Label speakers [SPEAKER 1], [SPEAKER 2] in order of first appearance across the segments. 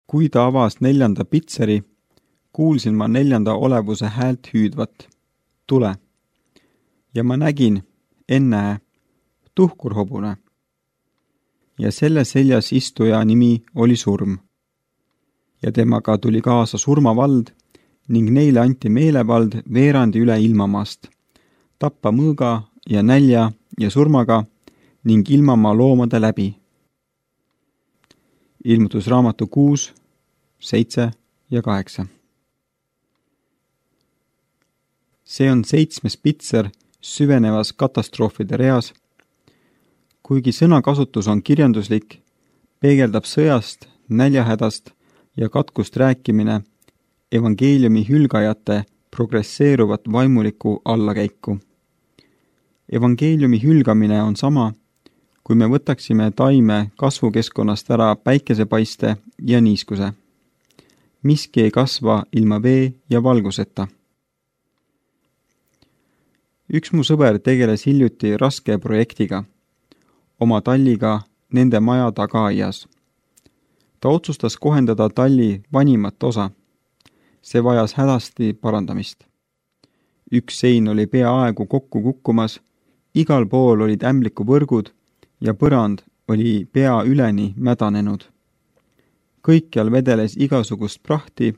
[SPEAKER 1] Kui ta avas 4. pitseri, kuulsin ma 4. olevuse häält hüüdvat. Tule! Ja ma nägin, ennäe, tuhkurhobune. Ja selle seljas istuja nimi oli Surm. Ja temaga tuli kaasa surmavald ning neile anti meelevald veerandi üle ilmamaast, tappa mõõga ja nälja ja surmaga ning ilmamaa loomade läbi. Ilmutusraamatu 6, 7 ja 8. See on 7. pitser süvenevas katastroofide reas. Kuigi sõnakasutus on kirjanduslik, peegeldab sõjast, näljahädast ja katkust rääkimine evangeeliumi hülgajate progresseeruvat vaimulikku allakäiku. Evangeeliumi hülgamine on sama, kui me võtaksime taime kasvukeskkonnast ära päikesepaiste ja niiskuse. Miski ei kasva ilma vee ja valguseta. Üks mu sõber tegeles hiljuti raske projektiga, oma talliga nende maja tagaaias. Ta otsustas kohendada talli vanimat osa. See vajas hädasti parandamist. Üks sein oli peaaegu kokku kukkumas, igal pool olid ämblikuvõrgud ja põrand oli pea üleni mädanenud. Kõikjal vedeles igasugust prahti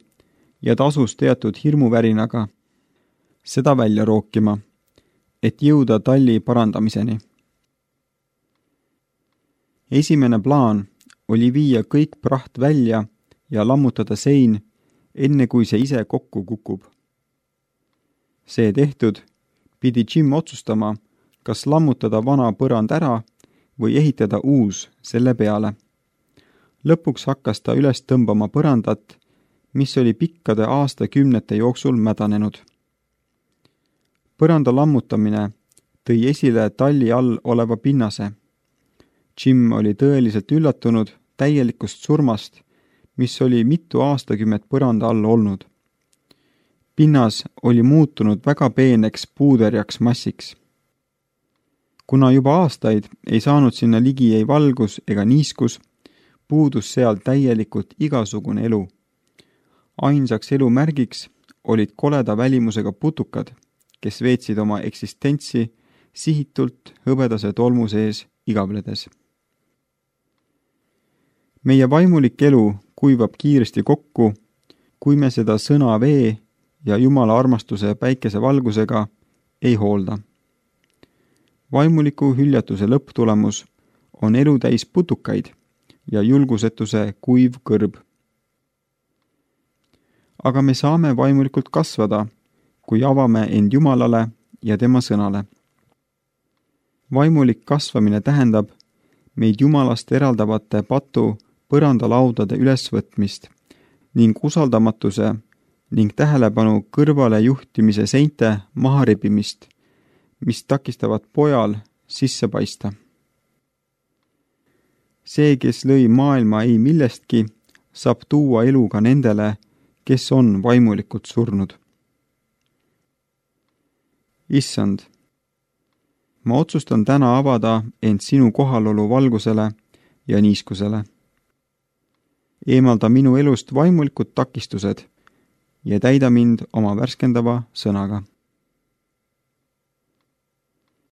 [SPEAKER 1] ja ta asus teatud hirmuvärinaga seda välja rookima, et jõuda talli parandamiseni. Esimene plaan oli viia kõik praht välja ja lammutada sein, enne kui see ise kokku kukub. See tehtud, pidi Jim otsustama, kas lammutada vana põrand ära või ehitada uus selle peale. Lõpuks hakkas ta üles tõmbama põrandat, mis oli pikkade aastakümnete jooksul mädanenud. Põranda lammutamine tõi esile talli all oleva pinnase. Jim oli tõeliselt üllatunud täielikust surmast, mis oli mitu aastakümmet põranda all olnud. Pinnas oli muutunud väga peeneks puuderjaks massiks. Kuna juba aastaid ei saanud sinna ligi ei valgus ega niiskus, puudus seal täielikult igasugune elu. Ainsaks elu märgiks olid koleda välimusega putukad, kes veetsid oma eksistentsi sihitult hõbedase tolmu sees igavledes. Meie vaimulik elu kuivab kiiresti kokku, kui me seda sõna vee ja Jumala armastuse päikese valgusega ei hoolda. Vaimuliku hüljatuse lõpptulemus on elu täis putukaid ja julgusetuse kuiv kõrb. Aga me saame vaimulikult kasvada, kui avame end Jumalale ja tema sõnale. Vaimulik kasvamine tähendab meid Jumalast eraldavate patu põrandalaudade ülesvõtmist ning usaldamatuse ning tähelepanu kõrvale juhtimise seinte maharibimist, mis takistavad pojal sisse paista. See, kes lõi maailma ei millestki, saab tuua elu ka nendele, kes on vaimulikult surnud. Issand, ma otsustan täna avada end sinu kohalolu valgusele ja niiskusele. Eemalda minu elust vaimulikud takistused ja täida mind oma värskendava sõnaga.